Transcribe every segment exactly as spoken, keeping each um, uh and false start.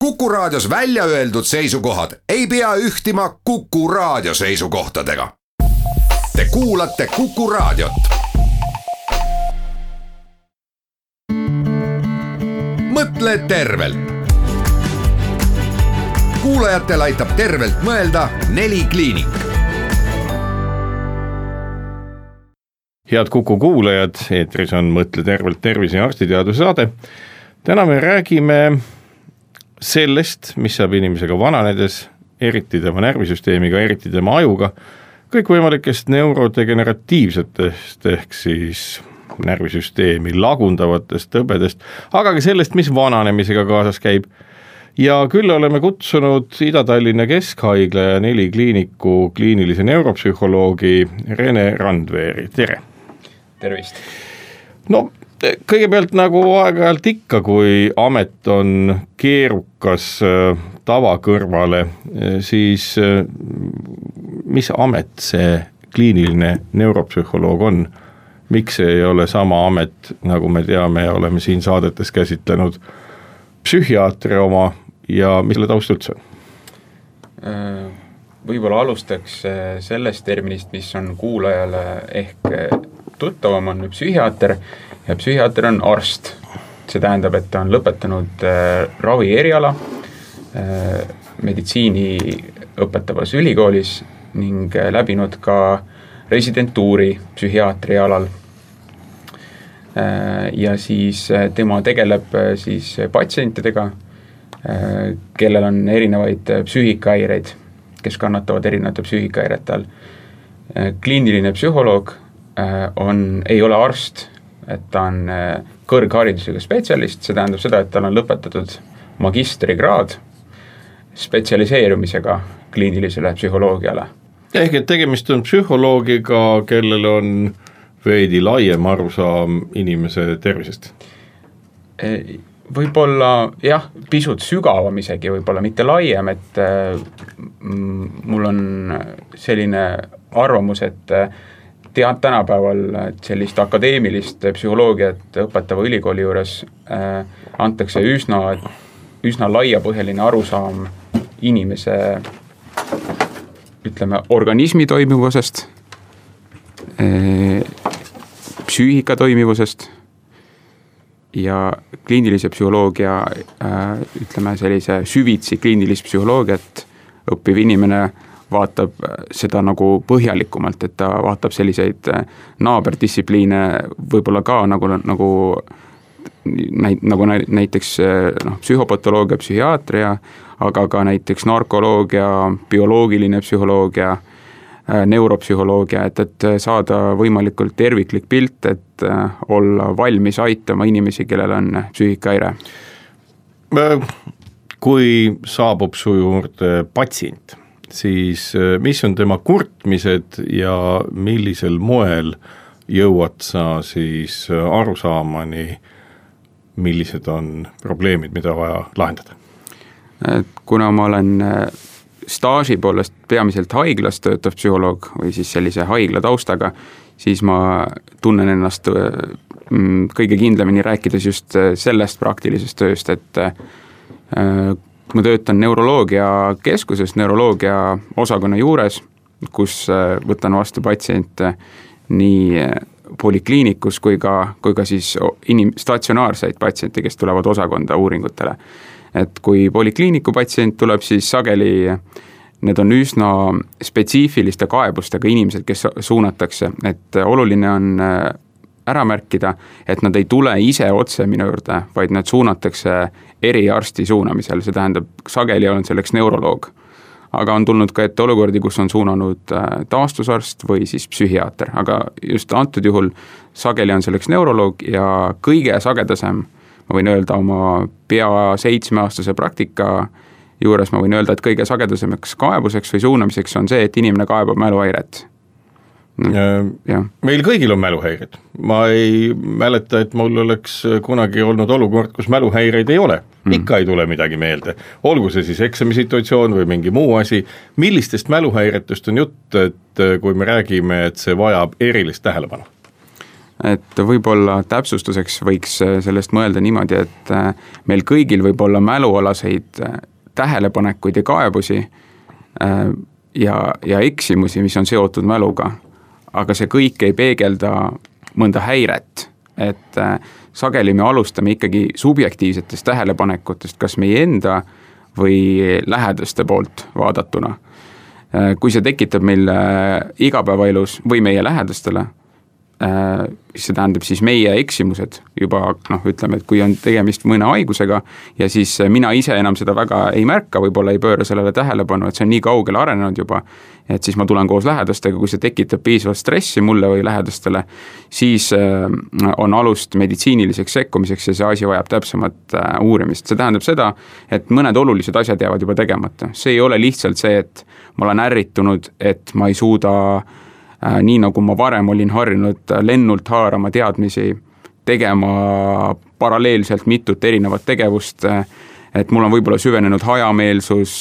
Kuku Raadios välja öeldud seisukohad ei pea ühtima Kuku Raadio seisukohtadega. Te kuulate Kuku Raadiot. Mõtle tervelt. Kuulajatel aitab tervelt mõelda Neli Kliinik. Head Kuku kuulajad, eetris on Mõtle tervelt tervise ja arstiteaduse saade. Täna me räägime sellest, mis saab inimesega vananedes, eriti tema närvisüsteemiga, eriti tema ajuga, kõikvõimalikest neurodegeneratiivsetest ehk siis närvisüsteemi lagundavatest tõbedest, aga ka sellest, mis vananemisega kaasas käib. Ja küll oleme kutsunud Ida-Tallinna Keskhaigla ja Neli Kliiniku kliinilise neuropsühholoogi Rene Randveeri. Tere! Tervist! No, kõigepealt nagu aeg-ajalt ikka, kui amet on keerukas tava kõrvale, siis mis amet see kliiniline neuropsühholoog on? Miks ei ole sama amet, nagu me teame ja oleme siin saadetes käsitlenud psühhiaatri oma ja mis selle taust üldse on? Võib-olla alustaks sellest terminist, mis on kuulajale ehk tuttavam, on psühhiaater ja psühhiaater on arst. See tähendab, et ta on lõpetanud ravi eriala meditsiini õpetavas ülikoolis ning läbinud ka residentuuri psühhiaatri alal. Ja siis tema tegeleb siis patsientidega, kellel on erinevaid psüühikahäireid, kes kannatavad erinevate psüühikahäirete all. Kliiniline psühholoog on, ei ole arst, et ta on kõrgharidusega spetsialist, see tähendab seda, et tal on lõpetatud magistrikraad spetsialiseerumisega kliinilisele psühholoogiale. Ehk et tegemist on psühholoogiga, kellel on veidi laiem arusaam inimese tervisest? Võib-olla jah, pisut sügavam isegi, võib-olla mitte laiem, et mul on selline arvamus, et tead tänapäeval sellist akadeemilist psühholoogiat õpetava ülikooli juures antakse üsna, üsna laiapõhjaline arusaam inimese, ütleme, organismi toimivusest, psüühika toimivusest ja kliinilise psühholoogia, ütleme sellise süvitsi kliinilist psühholoogiat õppiv inimene vaatab seda nagu põhjalikumalt, et ta vaatab selliseid naaberdistsipliine võib-olla ka nagu, nagu, nagu näiteks no, psühhopatoloogia, psühhiaatria, aga ka näiteks narkoloogia, bioloogiline psühholoogia, neuropsühholoogia, et, et saada võimalikult terviklik pilt, et olla valmis aitama inimesi, kellel on psüühikahäire. Kui saabub su juurde patsient, siis mis on tema kurtmised ja millisel moel jõuad sa siis arusaamani, millised on probleemid, mida vaja lahendada? Kuna ma olen staaži poolest peamiselt haiglas töötav psühholoog või siis sellise haigla taustaga, siis ma tunnen ennast kõige kindlamini rääkides just sellest praktilisest tööst, et ma töötan neuroloogia keskuses, neuroloogia osakonna juures, kus võtan vastu patsiente nii polikliinikus kui ka, kui ka siis inim- statsionaarseid patsiente, kes tulevad osakonda uuringutele. Et kui polikliiniku patsient tuleb, siis sageli need on üsna spetsiifiliste kaebustega inimesed, kes suunatakse, et oluline on ära märkida, et nad ei tule ise otse minu juurde, vaid nad suunatakse eriarsti suunamisel, see tähendab, sageli on selleks neuroloog. Aga on tulnud ka ette olukordi, kus on suunanud taastusarst või siis psühhiaater, aga just antud juhul sageli on selleks neuroloog ja kõige sagedasem, ma võin öelda oma pea seitsmeaastase praktika juures, ma võin öelda, et kõige sagedasemaks kaebuseks või suunamiseks on see, et inimene kaebab mäluhäiret. Ja. Meil kõigil on mäluhäired. Ma ei mäleta, et mul oleks kunagi olnud olukord, kus mäluhäireid ei ole. Ikka ei tule midagi meelde. Olgu see siis eksamisituatsioon või mingi muu asi. Millistest mäluhäiretest on jutt, et kui me räägime, et see vajab erilist tähelepanu? et võib-olla täpsustuseks võiks sellest mõelda niimoodi, et meil kõigil võib olla mälualaseid tähelepanekuid ja kaebusi ja, ja eksimusi, mis on seotud mäluga, aga see kõik ei peegelda mõnda häiret, et sageli me alustame ikkagi subjektiivsetest tähelepanekutest, kas meie enda või lähedaste poolt vaadatuna. Kui see tekitab meil igapäevaelus või meie lähedastele, see tähendab siis meie eksimused juba, noh, ütleme, et kui on tegemist mõne haigusega ja siis mina ise enam seda väga ei märka, võib-olla ei pööra sellele tähelepanu, et see on nii kaugele arenenud juba, et siis ma tulen koos lähedastega, kui see tekitab piisavalt stressi mulle või lähedastele, siis on alust meditsiiniliseks sekkumiseks ja see asi vajab täpsemat uurimist. See tähendab seda, et mõned olulised asjad jäävad juba tegemata. See ei ole lihtsalt see, et ma olen ärritunud, et ma ei suuda nii nagu ma varem olin harjunud lennult haarama teadmisi, tegema paralleelselt mitut erinevat tegevust, et mul on võib-olla süvenenud hajameelsus,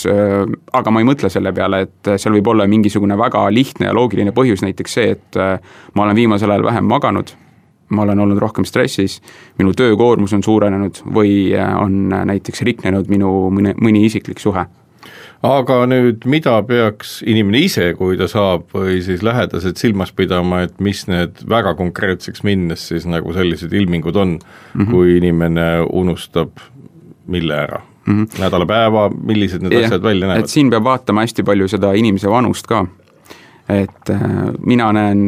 aga ma ei mõtle selle peale, et seal võib olla mingisugune väga lihtne ja loogiline põhjus, näiteks see, et ma olen viimasel ajal vähem maganud, ma olen olnud rohkem stressis, minu töökoormus on suurenenud või on näiteks riknenud minu mõni, mõni isiklik suhe. Aga nüüd, mida peaks inimene ise, kui ta saab või siis lähedased silmas pidama, et mis need väga konkreetseks minnes siis nagu sellised ilmingud on, mm-hmm. kui inimene unustab mille ära? Mm-hmm. Nädalapäeva, millised need ja, asjad välja näevad? Et siin peab vaatama hästi palju seda inimese vanust ka. Et äh, mina näen,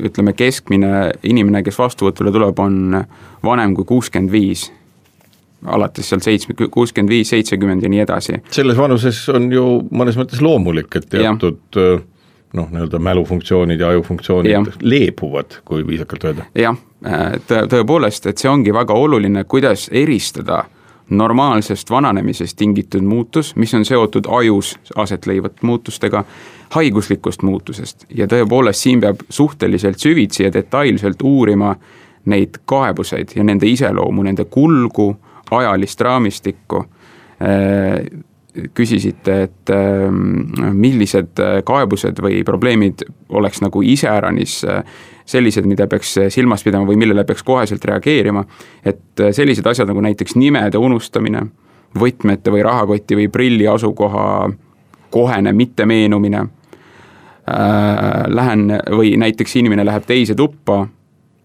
ütleme, keskmine inimene, kes vastuvõtule tuleb, on vanem kui kuuskümmend viis. Alates seal kuuskümmend viis, seitsekümmend ja nii edasi. Selles vanuses on ju mõnes mõttes loomulik, et teatud ja. noh, nii-öelda mälufunktsioonid ja ajufunktsioonid ja. leebuvad, kui viisakalt öelda. Jah, tõ- tõepoolest, et see ongi väga oluline, kuidas eristada normaalsest vananemisest tingitud muutus, mis on seotud ajus aset leivat muutustega, haiguslikust muutusest. Ja tõepoolest siin peab suhteliselt süvitsi ja detailselt uurima neid kaebuseid ja nende iseloomu, nende kulgu, ajalist raamistikku. Küsisite, et millised kaebused või probleemid oleks nagu iseäranis sellised, mida peaks silmas pidama või millele peaks koheselt reageerima. Et sellised asjad nagu näiteks nimede unustamine, võtmete või rahakoti või prilli asukoha kohene mitte meenumine. Lähen või näiteks inimene läheb teise tuppa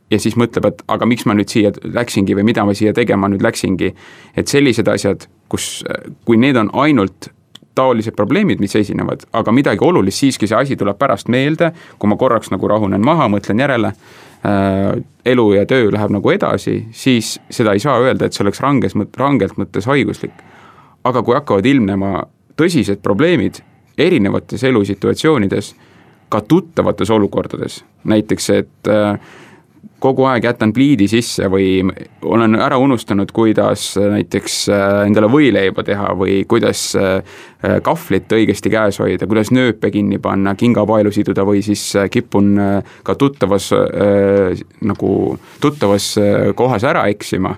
ja siis mõtleb, et aga miks ma nüüd siia läksingi või mida ma siia tegema nüüd läksingi. Et sellised asjad, kus, kui need on ainult taolised probleemid, mis esinevad, aga midagi olulist, siiski see asi tuleb pärast meelde, kui ma korraks nagu rahunen maha, mõtlen järele, äh, elu ja töö läheb nagu edasi, siis seda ei saa öelda, et see oleks ranges, rangelt mõttes haiguslik. Aga kui hakkavad ilmnema tõsised probleemid erinevates elusituatsioonides, ka tuttavates olukordades, näiteks, et äh, kogu aeg jätan pliidi sisse või olen ära unustanud, kuidas näiteks endale võileiba teha või kuidas kahvlit õigesti käes hoida, kuidas nööpe kinni panna, kingapaelu siduda või siis kipun ka tuttavas, nagu tuttavas kohas ära eksima.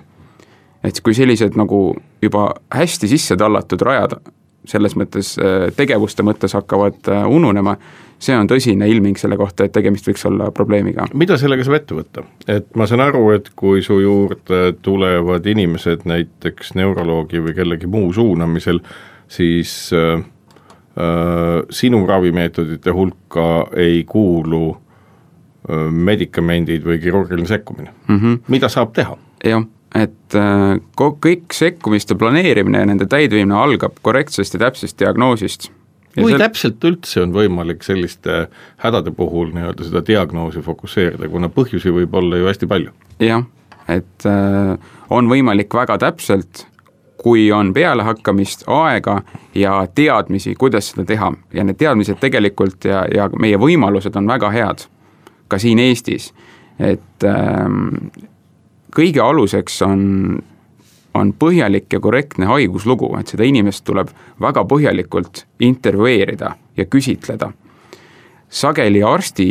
Et kui sellised nagu juba hästi sisse tallatud rajad selles mõttes tegevuste mõttes hakkavad ununema, see on tõsine ilming selle kohta, et tegemist võiks olla probleemiga. Mida sellega saab ette võtta? Et ma saan aru, et kui su juurde tulevad inimesed näiteks neuroloogi või kellegi muu suunamisel, siis äh, äh, sinu ravimeetodite hulka ei kuulu äh, medikamendid või kirurgiline sekkumine. Mm-hmm. Mida saab teha? Jah. Et kõik sekkumiste planeerimine ja nende täidviimine algab korrektsest ja täpsest diagnoosist. Ja Kui sel... täpselt üldse on võimalik selliste hädade puhul nii-öelda seda diagnoosi fokusseerida, kuna põhjusi võib olla ju hästi palju? Jah, et on võimalik väga täpselt, kui on pealehakkamist, aega ja teadmisi, kuidas seda teha. Ja need teadmised tegelikult ja, ja meie võimalused on väga head, ka siin Eestis. Et ähm, kõige aluseks on, on põhjalik ja korrektne haiguslugu, et seda inimest tuleb väga põhjalikult intervjueerida ja küsitleda. Sageli arsti,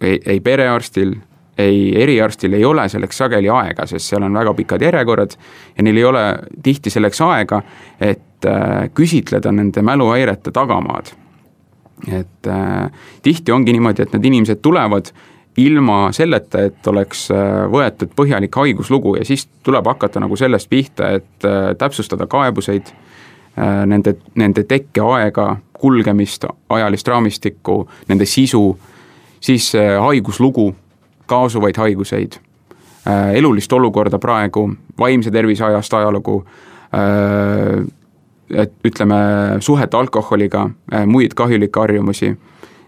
ei, ei perearstil, ei eriarstil ei ole selleks sageli aega, sest seal on väga pikad järjekorrad ja neil ei ole tihti selleks aega, et äh, küsitleda nende mäluhäirete tagamaad. Et äh, tihti ongi niimoodi, et need inimesed tulevad ilma selleta, et oleks võetud põhjalik haiguslugu ja siis tuleb hakata nagu sellest pihta, et täpsustada kaebuseid, nende, nende tekkeaega, kulgemist, ajalist raamistikku, nende sisu, siis haiguslugu, kaasuvaid haiguseid, elulist olukorda praegu, vaimse tervise ajast ajalugu, et ütleme suhet alkoholiga, muid kahjulikke harjumusi,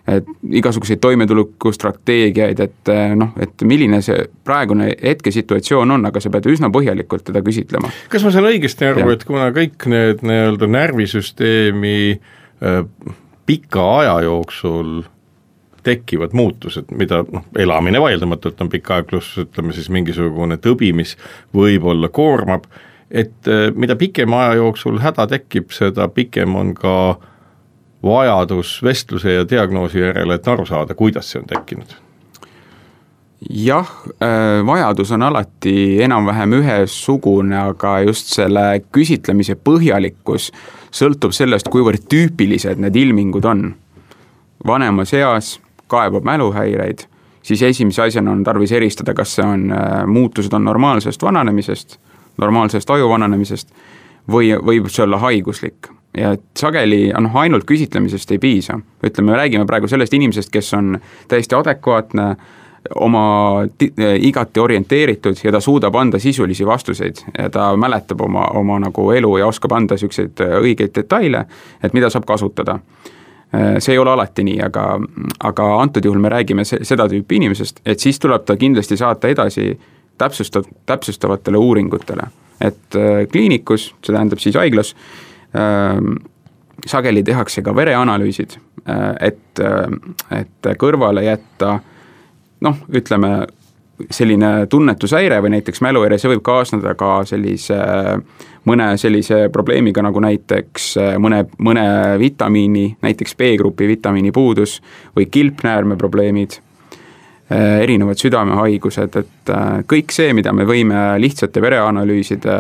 et igasuguseid toimetulekustrateegiaid, et noh, et milline see praegune hetkesituatsioon on, aga sa pead üsna põhjalikult teda küsitlema. Kas ma saan õigesti aru, et kuna kõik need nii-öelda närvisüsteemi äh, pika aja jooksul tekivad muutused, mida noh, elamine vaieldamatult on pikk aeg, pluss ütleme siis mingisugune tõbi, mis võib-olla koormab, et äh, mida pikema aja jooksul häda tekib, seda pikem on ka vajadus vestluse ja diagnoosi järele, et aru saada, kuidas see on tekkinud? Jah, vajadus on alati enam-vähem ühesugune, aga just selle küsitlemise põhjalikkus sõltub sellest, kuivõrd tüüpilised need ilmingud on. Vanemas eas kaebab mäluhäireid, siis esimese asjana on tarvis eristada, kas see on, muutused on normaalsest vananemisest, normaalsest aju vananemisest või võib see olla haiguslik. Ja sageli noh, ainult küsitlemisest ei piisa. Ütleme, me räägime praegu sellest inimesest, kes on täiesti adekvaatne, oma igati orienteeritud ja ta suudab anda sisulisi vastuseid ja ta mäletab oma, oma nagu elu ja oskab anda selliseid õigeid detaile, et mida saab kasutada. See ei ole alati nii, aga, aga antud juhul me räägime seda tüüpi inimesest, et siis tuleb ta kindlasti saata edasi täpsustav, täpsustavatele uuringutele. Et kliinikus, see tähendab siis haiglas, sageli tehakse ka vereanalüüsid, et, et kõrvale jätta, noh, ütleme, selline tunnetushäire või näiteks mäluhäire, see võib kaasneda ka sellise, mõne sellise probleemiga nagu näiteks mõne, mõne vitamiini, näiteks B-grupi vitamiini puudus või kilpnäärme probleemid, erinevad südamehaigused, et kõik see, mida me võime lihtsate vereanalüüside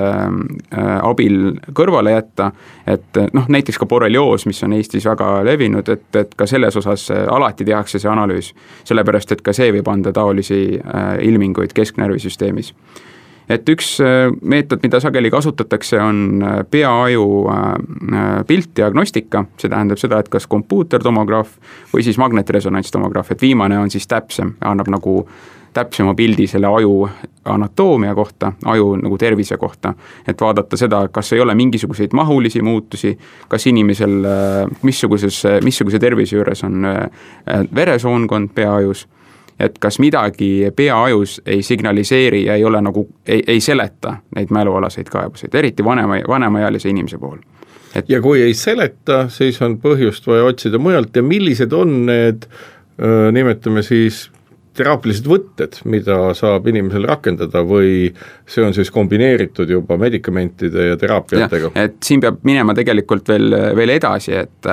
abil kõrvale jätta, et noh, näiteks ka borrelioos, mis on Eestis väga levinud, et, et ka selles osas alati tehakse see analüüs, sellepärast, et ka see võib anda taolisi ilminguid kesknärvisüsteemis. Et üks meetod, mida sageli kasutatakse, on peaaju piltdiagnostika, see tähendab seda, et kas kompuutertomograaf või siis magnetresonantstomograaf, et viimane on siis täpsem, annab nagu täpsema pildi selle aju anatoomia kohta, aju nagu tervise kohta, et vaadata seda, kas ei ole mingisuguseid mahulisi muutusi, kas inimesel missuguses, missuguse tervise juures on veresoonkond peaajus, et kas midagi peaajus ei signaliseeri ja ei ole nagu, ei, ei seleta neid mälualaseid kaebuseid, eriti vanema, vanemaealise inimese puhul. Et... Ja kui ei seleta, siis on põhjust vaja otsida mujalt ja millised on need, nimetame siis, teraapilised võtted, mida saab inimesel rakendada või see on siis kombineeritud juba medikamentide ja teraapiatega? Ja, et siin peab minema tegelikult veel, veel edasi, et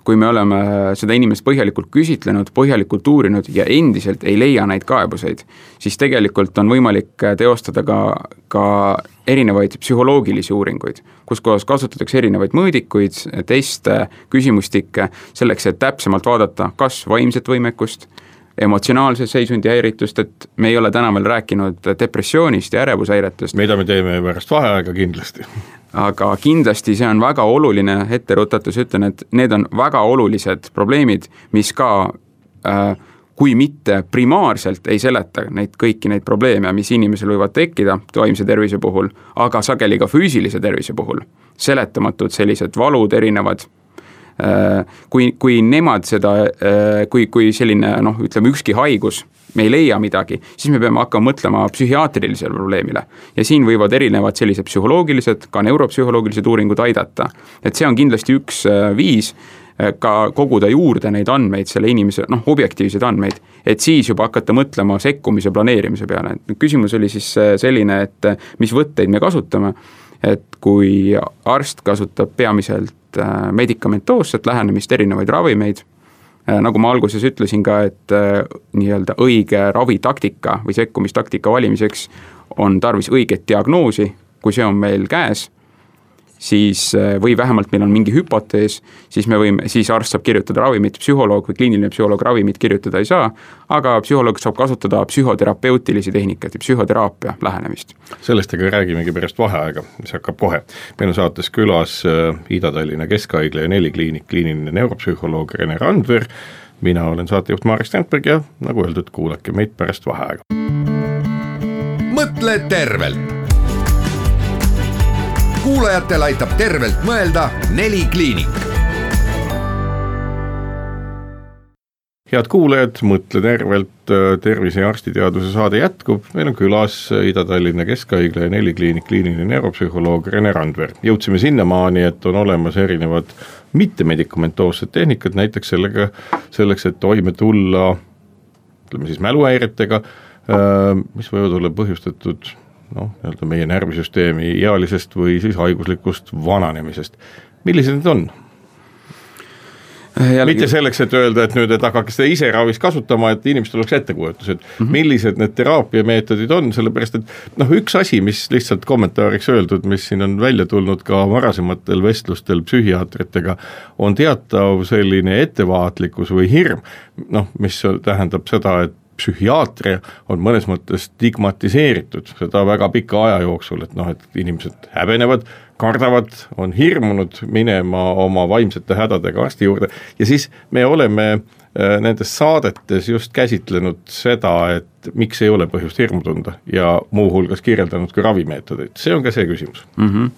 kui me oleme seda inimest põhjalikult küsitlenud, põhjalikult uurinud ja endiselt ei leia neid kaebuseid, siis tegelikult on võimalik teostada ka, ka erinevaid psühholoogilisi uuringuid, kus kohas kasutatakse erinevaid mõõdikuid, teste, küsimustikke, selleks, et täpsemalt vaadata, kas vaimset võimekust, emotsionaalse seisundi häiritust, et me ei ole täna veel rääkinud depressioonist ja ärevushäiretest. Mida me teeme pärast vaheaega kindlasti. Aga kindlasti see on väga oluline etteruttatus, ütlen, et need on väga olulised probleemid, mis ka, äh, kui mitte primaarselt ei seleta neid kõiki neid probleeme, mis inimesel võivad tekkida vaimse tervise puhul, aga sageli ka füüsilise tervise puhul. Seletamatud sellised valud erinevad, kui, kui nemad seda, kui, kui selline, noh, ütleme ükski haigus, me ei leia midagi, siis me peame hakkama mõtlema psühhiaatrilisele probleemile. Ja siin võivad erinevad sellised psühholoogilised, ka neuropsühholoogilised uuringud aidata. Et see on kindlasti üks viis ka koguda juurde neid andmeid, selle inimese, noh, objektiivseid andmeid, et siis juba hakata mõtlema sekkumise planeerimise peale. Küsimus oli siis selline, et mis võtteid me kasutame, et kui arst kasutab peamiselt medikamentoosset lähenemist, erinevaid ravimeid, nagu ma alguses ütlesin ka, et nii-öelda õige ravitaktika või sekkumistaktika valimiseks on tarvis õiget diagnoosi, kui see on meil käes, siis või vähemalt meil on mingi hüpotees, siis me võime, siis arst saab kirjutada ravimit, psühholoog või kliiniline psühholoog ravimit kirjutada ei saa, aga psühholoog saab kasutada psühhoterapeutilisi tehnikaid ja psühhoteraapia lähenemist. Sellest aga räägimegi pärast vaheaega, mis hakkab kohe. Meil on saates külas Ida-Tallinna Keskhaigla ja Neli kliinik kliiniline neuropsühholoog Rene Randver, mina olen saatejuht Marek Strandberg ja nagu öeldud, kuulake meid pärast vaheaega. Mõtle tervelt! Kuulajatel aitab tervelt mõelda Neli kliinik. Head kuulajad, Mõtle tervelt, tervise ja arstiteaduse saade jätkub. Meil on külas Ida-Tallinna Keskhaigla ja Neli kliinik kliiniline neuropsühholoog Rene Randver. Jõudsime sinnamaani, et on olemas erinevad mittemedicamentoossed tehnikad, näiteks sellega, selleks, et toime tulla, ütleme siis mäluhäiretega, mis võivad olla põhjustatud noh, nii-öelda meie närvisüsteemi ealisest või siis haiguslikust vananemisest. Millised need on? Jällegi... Mitte selleks, et öelda, et nüüd, et hakake seda ise ravis kasutama, et inimestel oleks ettekujutus, et mm -hmm. millised need teraapiameetodid on, sellepärast, et noh, üks asi, mis lihtsalt kommentaariks öeldud, mis siin on välja tulnud ka varasematel vestlustel psühhiaatritega, on teatav selline ettevaatlikkus või hirm, noh, mis tähendab seda, et psühhiaatria on mõnes mõttes stigmatiseeritud seda väga pika aja jooksul, et noh, et inimesed häbenevad, kardavad, on hirmunud minema oma vaimsete hädadega arsti juurde ja siis me oleme nendes saadetes just käsitlenud seda, et miks ei ole põhjust hirmu tunda ja muuhulgas kirjeldanud ka ravimeetodeid. See on ka see küsimus. Mm-hmm.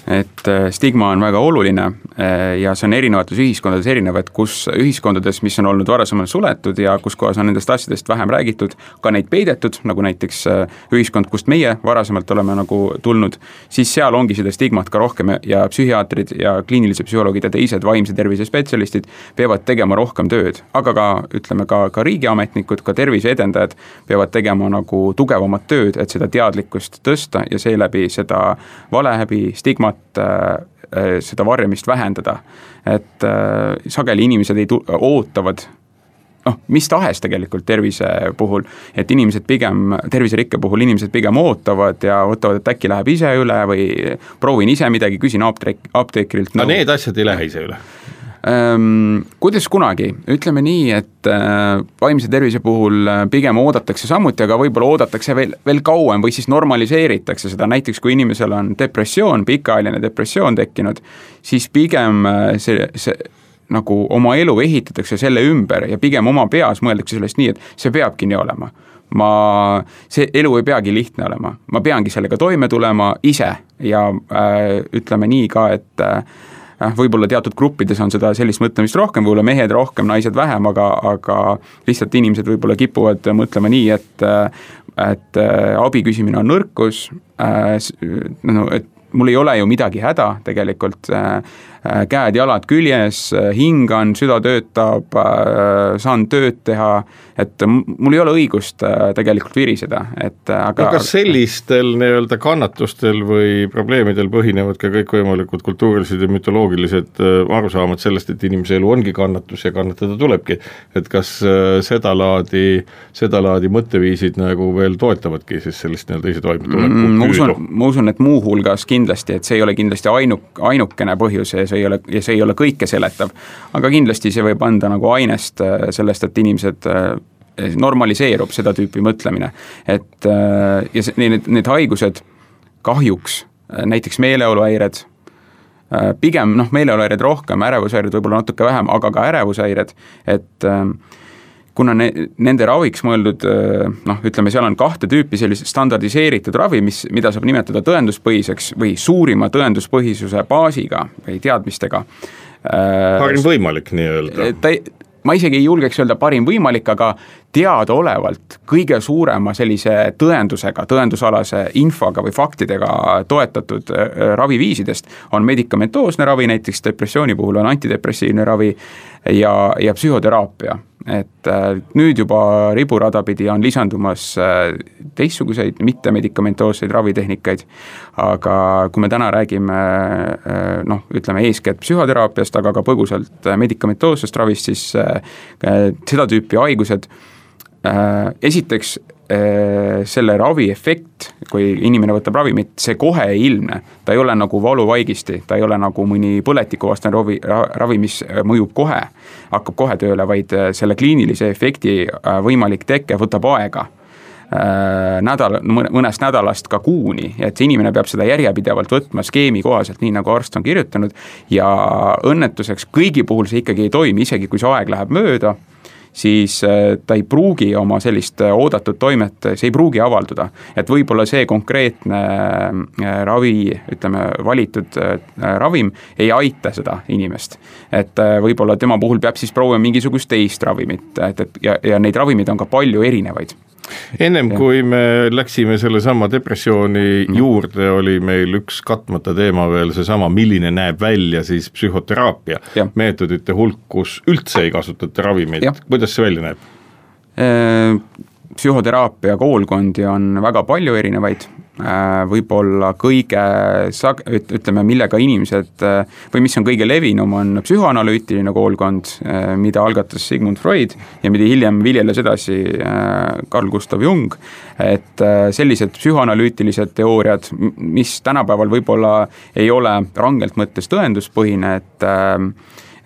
Et stigma on väga oluline ja see on erinevates ühiskondades erinevad, kus ühiskondades, mis on olnud varasemalt suletud ja kus kohas on nendest asjadest vähem räägitud, ka neid peidetud, nagu näiteks ühiskond, kust meie varasemalt oleme nagu tulnud, siis seal ongi seda stigmat ka rohkem ja psühhiaatrid ja kliinilise psühholoogid ja teised vaimse tervise spetsialistid peavad tegema rohkem tööd, aga ka, ütleme, ka, ka riigiametnikud, ka tervise edendajad peavad tegema nagu tugevamat tööd, et seda teadlikkust tõsta ja seeläbi seda valehäbi, stigmat seda varjamist vähendada, et sageli inimesed ei tu- ootavad, noh, mis tahes tegelikult tervise puhul, et inimesed pigem, terviserikke puhul inimesed pigem ootavad ja ootavad, et äkki läheb ise üle või proovin ise midagi, küsin apteek, apteekrilt. No need asjad ei lähe ise üle. Ähm, kuidas kunagi, ütleme nii, et äh, vaimse tervise puhul pigem oodatakse samuti, aga võib-olla oodatakse veel, veel kauem või siis normaliseeritakse seda, näiteks kui inimesel on depressioon, pikaajaline depressioon tekkinud, siis pigem see, see nagu oma elu ehitatakse selle ümber ja pigem oma peas mõeldakse sellest nii, et see peabki nii olema. Ma, see elu ei peagi lihtne olema, ma peangi sellega toime tulema ise ja äh, ütleme nii ka, et äh, võib-olla teatud gruppides on seda sellist mõtlemist rohkem, võib-olla mehed rohkem, naised vähem, aga, aga lihtsalt inimesed võib-olla kipuvad mõtlema nii, et, et abi küsimine on nõrkus, no, et mul ei ole ju midagi häda tegelikult, käed-jalad küljes, hingan, süda töötab, saan tööd teha, et mul ei ole õigust tegelikult viriseda. Et, aga... no kas sellistel nii-öelda kannatustel või probleemidel põhinevad ka kõikvõimalikud kultuurilised ja mütoloogilised arusaamad sellest, et inimese elu ongi kannatus ja kannatada tulebki, et kas seda laadi, seda laadi mõtteviisid nagu veel toetavadki siis sellist nii-öelda ise toimetuleku mm, ma, usun, ma usun, et muu hulgas kindlasti, et see ei ole kindlasti ainuk, ainukene põhjus ja see ei ole, ja see ei ole kõike seletav, aga kindlasti see võib anda nagu ainest sellest, et inimesed normaliseerub seda tüüpi mõtlemine, et ja see, need, need haigused kahjuks, näiteks meeleoluhäired, pigem noh, meeleoluhäired rohkem, ärevushäired võib-olla natuke vähem, aga ka ärevushäired, et kuna ne, nende raviks mõeldud, noh, ütleme, seal on kahte tüüpi sellist standardiseeritud ravi, mis, mida saab nimetada tõenduspõhiseks või suurima tõenduspõhisuse baasiga või teadmistega. Parim võimalik nii-öelda. Ta, ma isegi ei julgeks öelda parim võimalik, aga teadaolevalt kõige suurema sellise tõendusega, tõendusalase infoga või faktidega toetatud raviviisidest on medikamentoosne ravi, näiteks depressiooni puhul on antidepressiivne ravi ja, ja psühhoteraapia. Et nüüd juba riburadapidi on lisandumas teistsuguseid mittemedikamentoosseid ravitehnikaid, aga kui me täna räägime, noh, ütleme eeskätt psühhoteraapiast, aga ka põgusalt medikamentoossest ravist, siis seda tüüpi haigused esiteks selle ravi efekt, kui inimene võtab ravimit, see kohe ei ilmne, ta ei ole nagu valuvaigisti, ta ei ole nagu mõni põletikuvastane ravi, ravi, mis mõjub kohe, hakkab kohe tööle, vaid selle kliinilise efekti võimalik tekke võtab aega. Nädal, mõnest nädalast ka kuuni, et see inimene peab seda järjepidevalt võtma skeemi kohaselt, nii nagu arst on kirjutanud, ja õnnetuseks kõigi puhul see ikkagi ei toimi, isegi kui see aeg läheb mööda, siis ta ei pruugi oma sellist oodatud toimet, see ei pruugi avalduda. Et võib-olla see konkreetne ravi, ütleme, valitud ravim ei aita seda inimest. Et võib-olla tema puhul peab siis proovima mingisugust teist ravimit, et, et, ja, ja neid ravimid on ka palju erinevaid. Ennem ja. Kui me läksime selle sama depressiooni juurde, oli meil üks katmata teema veel seesama, milline näeb välja siis psühhoteraapia ja. Meetodite hulk, kus üldse ei kasutata ravimid. Kuidas see välja näeb? Psühhoteraapia koolkondi on väga palju erinevaid, võib-olla kõige, ütleme, millega inimesed, või mis on kõige levinum, on psühhoanalüütiline koolkond, mida algatas Sigmund Freud ja mida hiljem viljeles edasi Carl Gustav Jung, et sellised psühhoanalüütilised teooriad, mis tänapäeval võib-olla ei ole rangelt mõttes tõenduspõhine, et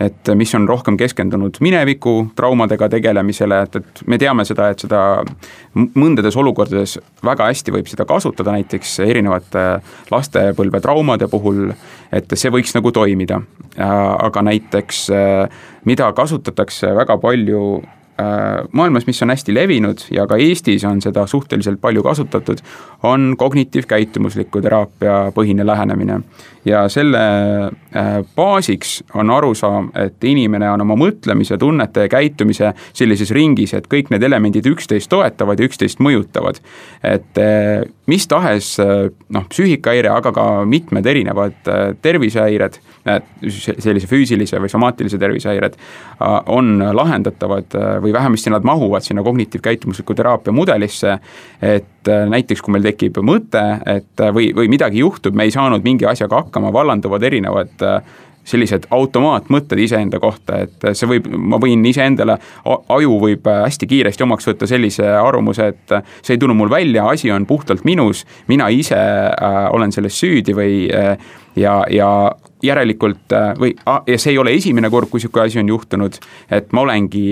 et mis on rohkem keskendunud mineviku traumadega tegelemisele, et, et me teame seda, et seda mõndades olukordades väga hästi võib seda kasutada, näiteks erinevate lastepõlve traumade puhul, et see võiks nagu toimida. Aga näiteks, mida kasutatakse väga palju maailmas, mis on hästi levinud ja ka Eestis on seda suhteliselt palju kasutatud, on kognitiivkäitumusliku teraapia põhine lähenemine. Ja selle baasiks on arusaam, et inimene on oma mõtlemise, tunnete ja käitumise sellises ringis, et kõik need elemendid üksteist toetavad ja üksteist mõjutavad. Et mis tahes noh, psüühikahäire, aga ka mitmed erinevad tervisehäired, sellise füüsilise või somaatilise tervisehäired on lahendatavad või vähemasti nad mahuvad sinna kognitiivkäitumusliku teraapia mudelisse, et näiteks kui meil tekib mõte, et või, või midagi juhtub, me ei saanud mingi asjaga hakkama, vallanduvad erinevad sellised automaatmõtted iseenda kohta, et see võib, ma võin iseendale, aju võib hästi kiiresti omaks võtta sellise arvamuse, et see ei tulnud mul välja, asi on puhtalt minus, mina ise äh, olen selles süüdi või äh, ja, ja järelikult või, ja see ei ole esimene kord, kui siuke asi on juhtunud, et ma olengi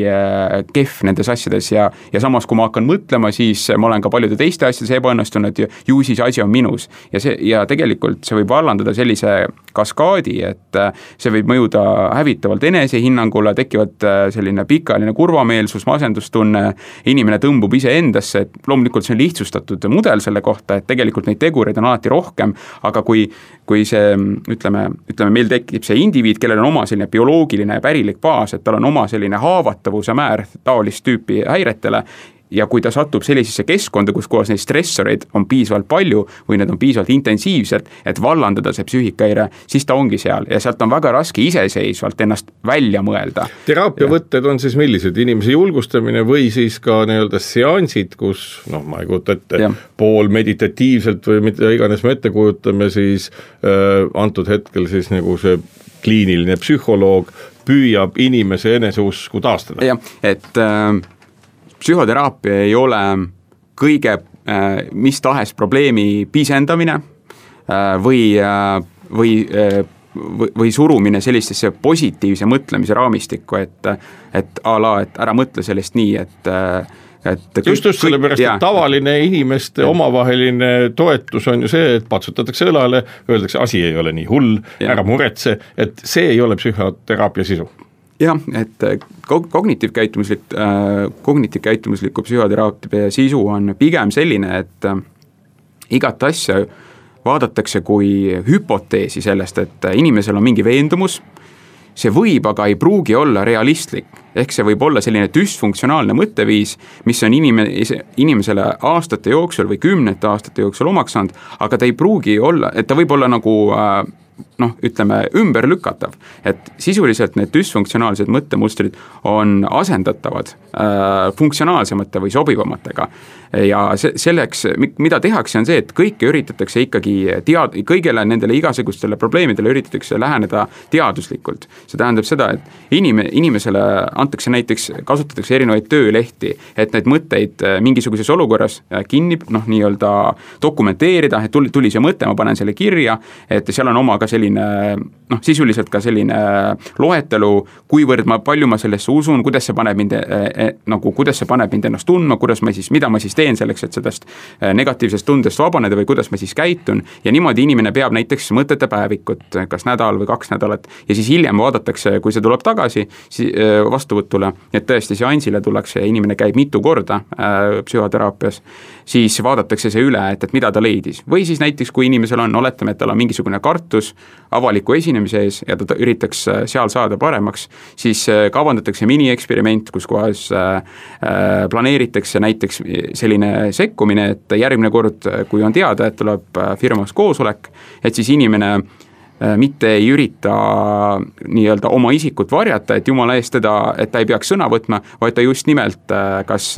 kehv nendes asjades ja, ja samas, kui ma hakkan mõtlema, siis ma olen ka paljude teiste asjades ebaõnnestunud ja ju siis asi on minus. Ja, see, ja tegelikult see võib vallandada sellise kaskaadi, et see võib mõjuda hävitavalt enesehinnangule, tekivad selline pikaajaline kurvameelsus, masendustunne, inimene tõmbub ise endasse, et loomulikult see on lihtsustatud mudel selle kohta, et tegelikult neid tegureid on alati rohkem, aga kui, kui see, ütleme, ütleme, meil tekib see indiviid, kellel on oma selline bioloogiline ja pärilik baas, et tal on oma selline haavatavuse määr taolist tüüpi häiretele ja kui ta satub sellisesse keskkonda, kus kohas neid stressoreid on piisavalt palju või need on piisavalt intensiivselt, et vallandada see psüühikahäire, siis ta ongi seal ja sealt on väga raske iseseisvalt ennast välja mõelda. Teraapiavõtted on siis millised? Inimese julgustamine või siis ka nii-öelda seansid, kus, noh, ma ei kujuta ette, ja. pool meditatiivselt või mida iganes me ette kujutame, siis äh, antud hetkel siis nagu see kliiniline psühholoog püüab inimese eneseusku taastada. Jah, et äh, psühhoteraapia ei ole kõige äh, mis tahes probleemi pisendamine äh, või, äh, või, äh, või, või surumine sellistesse positiivse mõtlemise raamistikku, et, et a la, et ära mõtle sellest nii, et äh, Et just just sellepärast, et tavaline inimeste ja. omavaheline toetus on ju see, et patsutatakse õlale, öeldakse, asi ei ole nii hull, ära muretse, et see ei ole psühhoteraapia sisu. Jah, et kognitiivkäitumuslik, äh, kognitiivkäitumusliku psühhoteraapia sisu on pigem selline, et äh, igat asja vaadatakse kui hüpoteesi sellest, et inimesel on mingi veendumus, see võib, aga ei pruugi olla realistlik. Ehk see võib olla selline düsfunktsionaalne mõtteviis, mis on inimese, inimesele aastate jooksul või kümnete aastate jooksul omaks saanud, aga ta ei pruugi olla, et ta võib olla nagu äh, noh, ütleme ümberlükatav, et sisuliselt need düsfunktsionaalsed mõttemustrid on asendatavad äh, funktsionaalsemate või sobivamatega. Ja se- selleks, mida tehakse, on see, et kõike üritatakse ikkagi tead-, kõigele nendele igasugustele probleemidele üritatakse läheneda teaduslikult. See tähendab seda, et inim- inimesele antakse näiteks, kasutatakse erinevaid töölehti, et neid mõtteid mingisuguses olukorras kinni, noh, nii-öelda dokumenteerida, et tuli, tuli see mõte, ma panen selle kirja, et seal on oma ka selline, noh, sisuliselt ka selline loetelu, kuivõrd ma, palju ma sellesse usun, kuidas see paneb mind, eh, nagu, kuidas see paneb mind ennast tundma, kuidas ma siis, mida ma siis teen selleks, et sellest negatiivsest tundest vabaneda või kuidas ma siis käitun ja niimoodi inimene peab näiteks mõtete päevikut, kas nädal või kaks nädalat ja siis hiljem vaadatakse, kui see tuleb tagasi vastuvõtule, et tõesti seansile tullakse ja inimene käib mitu korda äh, psühhoteraapias, siis vaadatakse see üle, et, et mida ta leidis. Või siis näiteks, kui inimesel on, oletame, et tal on mingisugune kartus avaliku esinemise ees ja ta üritaks seal saada paremaks, siis kavandatakse mini-eksperiment, kus kohas äh, planeeritakse näiteks selline sekkumine, et järgmine kord, kui on teada, et tuleb firmas koosolek, et siis inimene mitte ei ürita nii-öelda oma isikut varjata, et jumala eest teda, et ta ei peaks sõna võtma, vaid ta just nimelt kas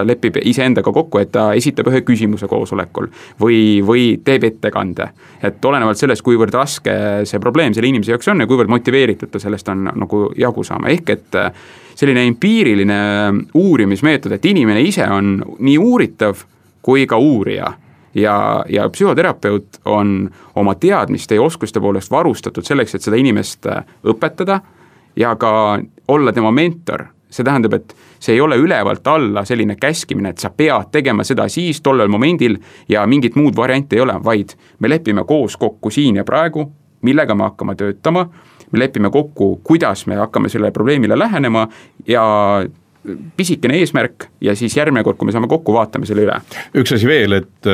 lepib iseendaga kokku, et ta esitab ühe küsimuse koosolekul või, või teeb ettekande. Et olenevalt sellest, kuivõrd raske see probleem selle inimese jaoks on ja kuivõrd motiveeritud ta sellest on nagu jagu saama. Ehk et selline empiiriline uurimismeetod, et inimene ise on nii uuritav kui ka uurija. Ja, ja psühhoterapeut on oma teadmiste ja oskuste poolest varustatud selleks, et seda inimest õpetada ja ka olla tema mentor. See tähendab, et see ei ole ülevalt alla selline käskimine, et sa pead tegema seda siis tollel momendil ja mingit muud varianti ei ole, vaid me lepime koos kokku siin ja praegu, millega me hakkame töötama, me lepime kokku, kuidas me hakkame selle probleemile lähenema ja pisikene eesmärk ja siis järgmine kord, kui me saame kokku, vaatame selle üle. Üks asi veel, et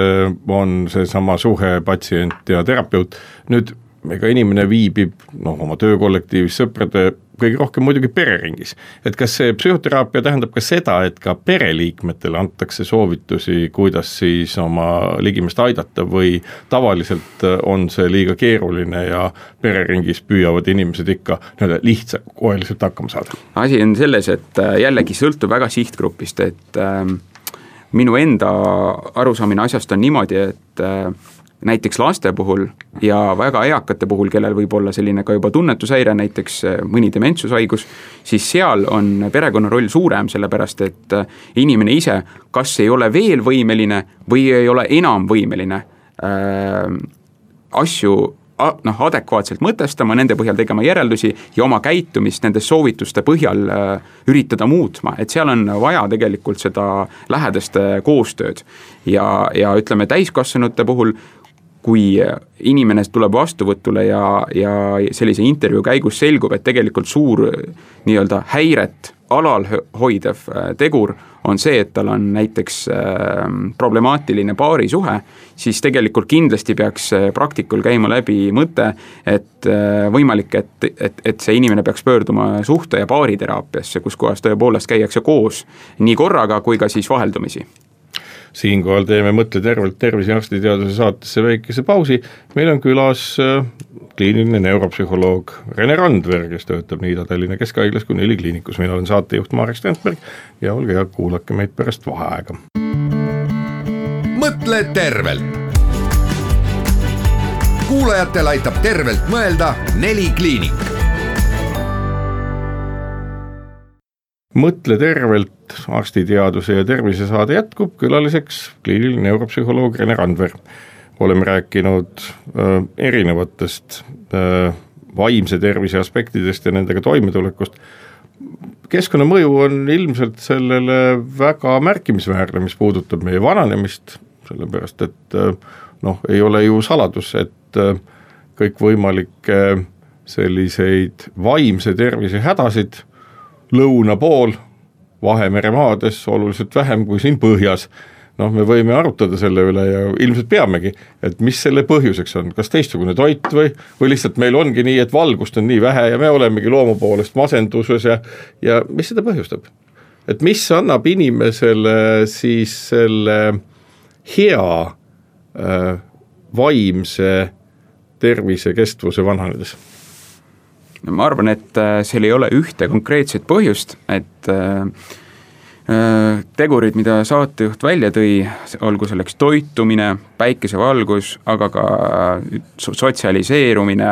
on see sama suhe patsient ja terapeut. Nüüd ega inimene viibib noh, oma töökollektiivis, sõprade, kõige rohkem muidugi pereringis. Et kas see psühhoteraapia tähendab ka seda, et ka pereliikmetele antakse soovitusi, kuidas siis oma ligimest aidata või tavaliselt on see liiga keeruline ja pereringis püüavad inimesed ikka lihtsa koeliselt hakkama saada? Asi on selles, et jällegi sõltub väga sihtgrupist, et äh, minu enda arusaamine asjast on niimoodi, et äh, näiteks laste puhul ja väga eakate puhul, kellel võib olla selline ka juba tunnetushäire, näiteks mõni dementsushaigus, siis seal on perekonna roll suurem, sellepärast et inimene ise kas ei ole veel võimeline või ei ole enam võimeline äh, asju noh, adekvaatselt mõtestama, nende põhjal tegema järeldusi ja oma käitumist nende soovituste põhjal äh, üritada muutma, et seal on vaja tegelikult seda lähedast koostööd ja, ja ütleme täiskasvanute puhul, kui inimene tuleb vastuvõtule ja, ja sellise intervjuu käigus selgub, et tegelikult suur nii-öelda häiret alal hoidev tegur on see, et tal on näiteks äh, problemaatiline paarisuhe, siis tegelikult kindlasti peaks praktikul käima läbi mõte, et äh, võimalik, et, et, et see inimene peaks pöörduma suhte- ja paariteraapiasse, kus kohas tõepoolest käiakse koos nii korraga kui ka siis vaheldumisi. Siinkohal teeme Mõtle tervelt tervise arstiteaduse saatesse väikese pausi. Meil on külas kliiniline neuropsühholoog Rene Randver, kes töötab nii Ida-Tallinna Keskhaiglas kui Neli kliinikus. Meil olen saatejuht Marek Strandberg ja olge ja kuulake meid pärast vaheaega. Mõtle tervelt. Kuulajatel aitab tervelt mõelda Neli kliinik. Mõtle tervelt arstiteaduse ja tervise saade jätkub, külaliseks kliiniline neuropsühholoog Rene Randver. Oleme rääkinud äh, erinevatest äh, vaimse tervise aspektidest ja nendega toimetulekust. Keskkonnamõju on ilmselt sellele väga märkimisväärne, mis puudutab meie vananemist, sellepärast et äh, noh, ei ole ju saladus, et äh, kõik võimalikke selliseid vaimse tervise hädasid lõuna pool Vahemere maades oluliselt vähem kui siin põhjas. Noh, me võime arutada selle üle ja ilmselt peamegi, et mis selle põhjuseks on, kas teistsugune toit või, või lihtsalt meil ongi nii, et valgust on nii vähe ja me olemegi loomu poolest masenduses ja, ja mis seda põhjustab? Et mis annab inimesele siis selle hea äh, vaimse tervisekestvuse vananedes? Ma arvan, et seal ei ole ühte konkreetset põhjust, et tegurid, mida saatejuht välja tõi, olgu selleks toitumine, päikesevalgus, aga ka sotsialiseerumine,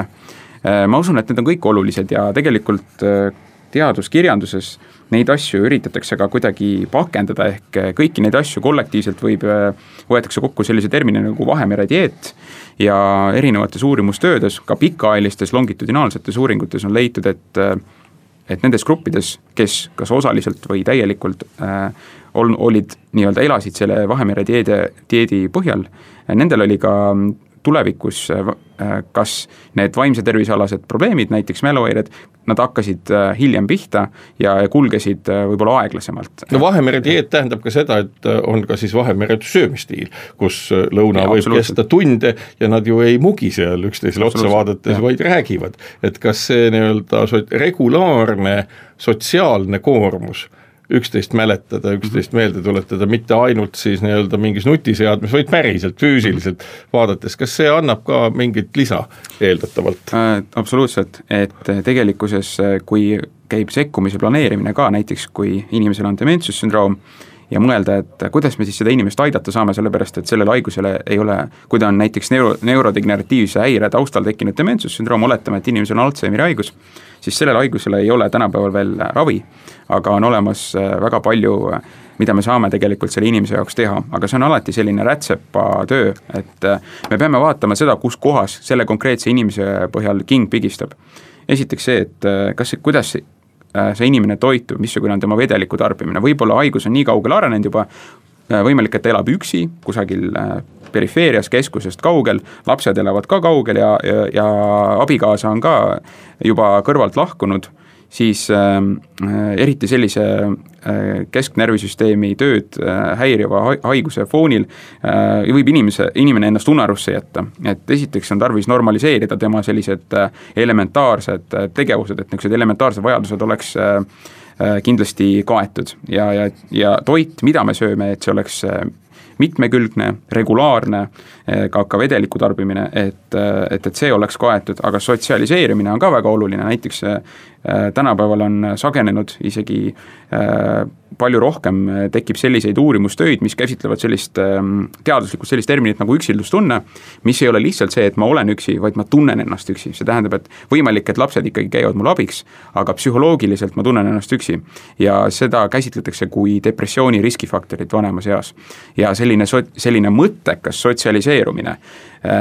ma usun, et need on kõik olulised ja tegelikult teaduskirjanduses neid asju üritatakse ka kuidagi pakendada, ehk kõiki neid asju kollektiivselt võib, võetakse kokku sellise termini nagu Vahemere dieet ja erinevates uurimustöödes, ka pikaajalistes longitudinaalsetes uuringutes on leitud, et et nendes gruppides, kes kas osaliselt või täielikult äh, olid nii-öelda elasid selle Vahemere dieedi, dieedi põhjal, nendel oli ka tulevikus äh, kas need vaimse tervisealased probleemid, näiteks mäluhäired, nad hakkasid äh, hiljem pihta ja kulgesid äh, võib-olla aeglasemalt. No Vahemere dieet tähendab ka seda, et on ka siis Vahemere söömistiil, kus lõuna ja, võib kesta tunde ja nad ju ei mugi seal üksteisele otsa vaadates, vaid räägivad. Et kas see nii-öelda regulaarne sotsiaalne koormus üksteist mäletada, üksteist meelde tuletada, mitte ainult siis nii-öelda mingis nutiseadmes, vaid päriselt, füüsiliselt vaadates. Kas see annab ka mingit lisa eeldatavalt? Äh, absoluutselt, et tegelikkuses, kui käib sekkumise planeerimine ka, näiteks kui inimesel on dementsussündroom ja mõelda, et kuidas me siis seda inimest aidata saame, sellepärast et sellele haigusele ei ole, kui ta on näiteks neuro, neurodegeneratiivse häire taustal tekkinud dementsussündroom, oletame, et inimesel on Alzheimeri haigus, siis sellele haigusele ei ole tänapäeval veel ravi, aga on olemas väga palju, mida me saame tegelikult selle inimese jaoks teha, aga see on alati selline rätsepa töö, et me peame vaatama seda, kus kohas selle konkreetse inimese põhjal king pigistab. Esiteks see, et kas, kuidas see inimene toitub, missugune on tema vedeliku tarbimine, võib-olla haigus on nii kaugel arenenud juba, võimalik, et ta elab üksi kusagil perifeerias, keskusest kaugel, lapsed elavad ka kaugel ja, ja, ja abikaasa on ka juba kõrvalt lahkunud, siis äh, eriti sellise äh, kesknärvisüsteemi tööd äh, häiriva haiguse foonil äh, võib inimese, inimene ennast unarusse jätta. Et esiteks on tarvis normaliseerida tema sellised äh, elementaarsed äh, tegevused, et niisugused elementaarsed vajadused oleks äh, kindlasti kaetud ja, ja, ja toit, mida me sööme, et see oleks äh, mitmekülgne, regulaarne, ka, ka vedeliku tarbimine, et, et, et see oleks kaetud, aga sotsialiseerimine on ka väga oluline, näiteks tänapäeval on sagenenud isegi palju rohkem tekib selliseid uurimustöid, mis käsitlevad sellist teaduslikult sellist terminit nagu üksildustunne, mis ei ole lihtsalt see, et ma olen üksi, vaid ma tunnen ennast üksi. See tähendab, et võimalik, et lapsed ikkagi käivad mul abiks, aga psühholoogiliselt ma tunnen ennast üksi. Ja seda käsitletakse kui depressiooni riskifaktorit vanemas eas. Ja selline, selline mõttekas sotsialiseerumine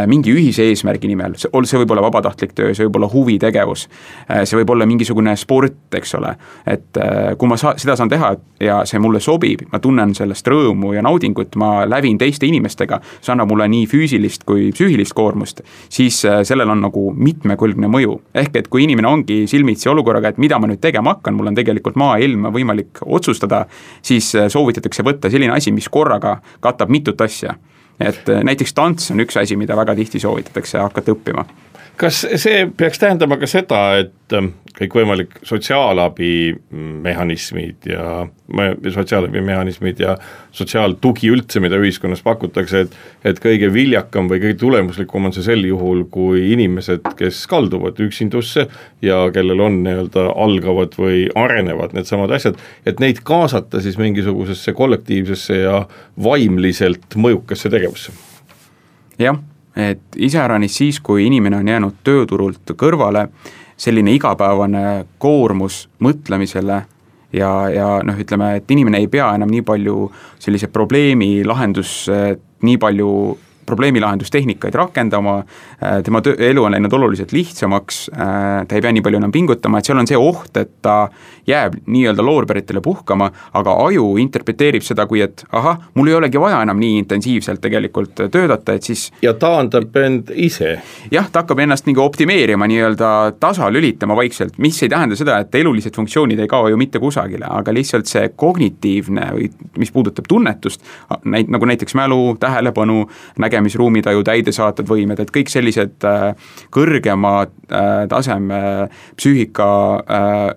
mingi ühise eesmärgi nimel, see võib olla vabatahtlik töö, see võib olla huvitegevus, see võib olla mingisugune sport, eks ole, et kui ma sa, seda saan teha ja see mulle sobib, ma tunnen sellest rõõmu ja naudingut, ma lävin teiste inimestega, see annab mulle nii füüsilist kui psüühilist koormust, siis sellel on nagu mitmekülgne mõju. Ehk et kui inimene ongi silmitsi olukorraga, et mida ma nüüd tegema hakkan, mul on tegelikult maailma võimalik otsustada, siis soovitatakse võtta selline asi, mis korraga katab mitut asja. Et näiteks tants on üks asi, mida väga tihti soovitatakse hakata õppima. Kas see peaks tähendama ka seda, et kõik võimalik sotsiaalabi mehhanismid ja sotsiaalabi mehhanismid ja sotsiaaltugi üldse, mida ühiskonnas pakutakse, et, et kõige viljakam või kõige tulemuslikum on see sel juhul, kui inimesed, kes kalduvad üksindusse ja kellel on nii-öelda algavad või arenevad need samad asjad, et neid kaasata siis mingisugusesse kollektiivsesse ja vaimliselt mõjukasse tegevusse. Jah. Et iseäranis siis, kui inimene on jäänud tööturult kõrvale, selline igapäevane koormus mõtlemisele ja, ja noh, ütleme, et inimene ei pea enam nii palju sellise probleemi lahendus, nii palju probleemilahendustehnikaid rakendama, tema töö, elu on läinud oluliselt lihtsamaks, ta ei pea nii palju enam pingutama, et seal on see oht, et ta jääb nii-öelda loorberitele puhkama, aga aju interpreteerib seda kui, et ahah, mul ei olegi vaja enam nii intensiivselt tegelikult töötada, et siis... Ja taandab end ise. Jah, ta hakkab ennast nii nagu nii-öelda tasa lülitama vaikselt, mis ei tähenda seda, et elulised funktsioonid ei kao ju mitte kusagile, aga lihtsalt see kognitiivne, või mis puudutab tunnetust, nagu näiteks mälu, tähelepanu, näge nägemisruumitaju täidesaatvad võimed, et kõik sellised kõrgema taseme psüühika,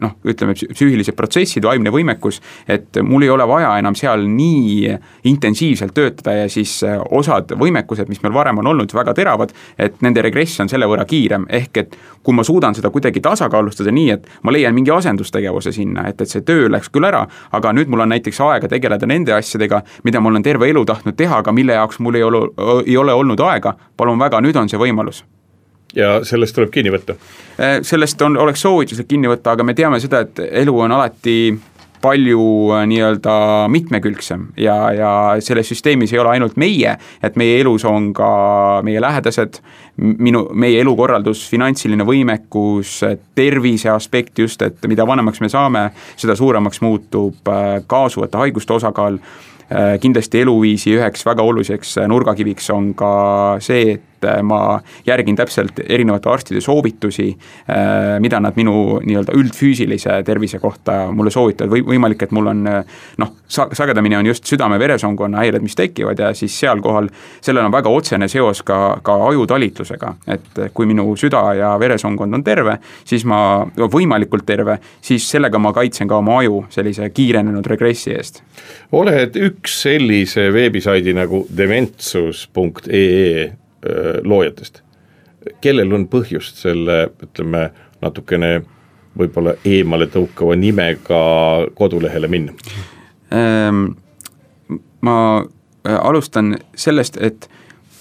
noh, ütleme psüühilised protsessid, vaimne võimekus, et mul ei ole vaja enam seal nii intensiivselt töötada ja siis osad võimekused, mis meil varem on olnud väga teravad, et nende regress on selle võrra kiirem, ehk et kui ma suudan seda kuidagi tasakaalustada nii, et ma leian mingi asendustegevuse sinna, et, et see töö läks küll ära, aga nüüd mul on näiteks aega tegeleda nende asjadega, mida mul on terve elu tahtnud teha, aga mille jaoks mul ei ole, ei ole olnud aega, palun väga, nüüd on see võimalus. Ja sellest tuleb kinni võtta? Sellest on, oleks soovituslik kinni võtta, aga me teame seda, et elu on alati palju nii-öelda mitmekülgsem ja, ja selles süsteemis ei ole ainult meie, et meie elus on ka meie lähedased, minu, meie elukorraldus, finantsiline võimekus, tervise aspekt just, et mida vanemaks me saame, seda suuremaks muutub kaasuvate haiguste osakaal. Kindlasti eluviisi üheks väga oluliseks nurgakiviks on ka see, et ma järgin täpselt erinevate arstide soovitusi, mida nad minu nii-öelda üldfüüsilise tervise kohta mulle soovitavad, või võimalik, et mul on noh, sagedamini on just südame-veresoonkonna häired, mis tekivad ja siis seal kohal, sellel on väga otsene seos ka, ka ajutalitlusega, et kui minu süda ja veresoonkond on terve, siis ma, võimalikult terve, siis sellega ma kaitsen ka oma aju sellise kiirenenud regressi eest. Oled üks sellise veebisaidi nagu dementsus punkt ee loojatest, kellel on põhjust selle, ütleme, natukene võib-olla eemale tõukava nimega kodulehele minna? Ma alustan sellest, et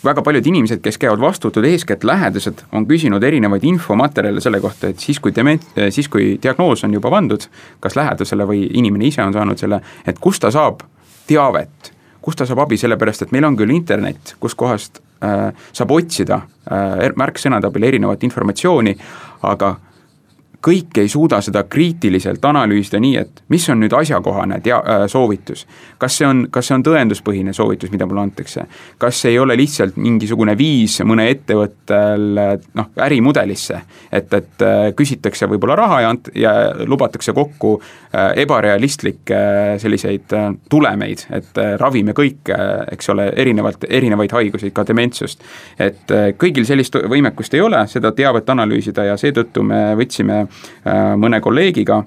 väga paljud inimesed, kes käivad vastutud, eeskätt lähedased, on küsinud erinevaid infomaterjale selle kohta, et siis kui, dement, siis kui diagnoos on juba pandud, kas lähedasele või inimene ise on saanud selle, et kus ta saab teavet, kus ta saab abi, sellepärast, et meil on küll internet, kus kohast äh, saab otsida äh, märksõnade abil erinevat informatsiooni, aga kõik ei suuda seda kriitiliselt analüüsida nii, et mis on nüüd asjakohane tea- äh, soovitus. Kas see, on, kas see on tõenduspõhine soovitus, mida mulle antakse? Kas see ei ole lihtsalt mingisugune viis mõne ettevõttel noh, ärimudelisse, et, et küsitakse võib-olla raha ja, ant- ja lubatakse kokku äh, ebarealistlikke äh, selliseid äh, tulemeid, et äh, ravime kõik, äh, eks ole, erinevalt, erinevaid haiguseid, ka dementsust. Et äh, kõigil sellist võimekust ei ole, seda teavet analüüsida ja seetõttu me võtsime mõne kolleegiga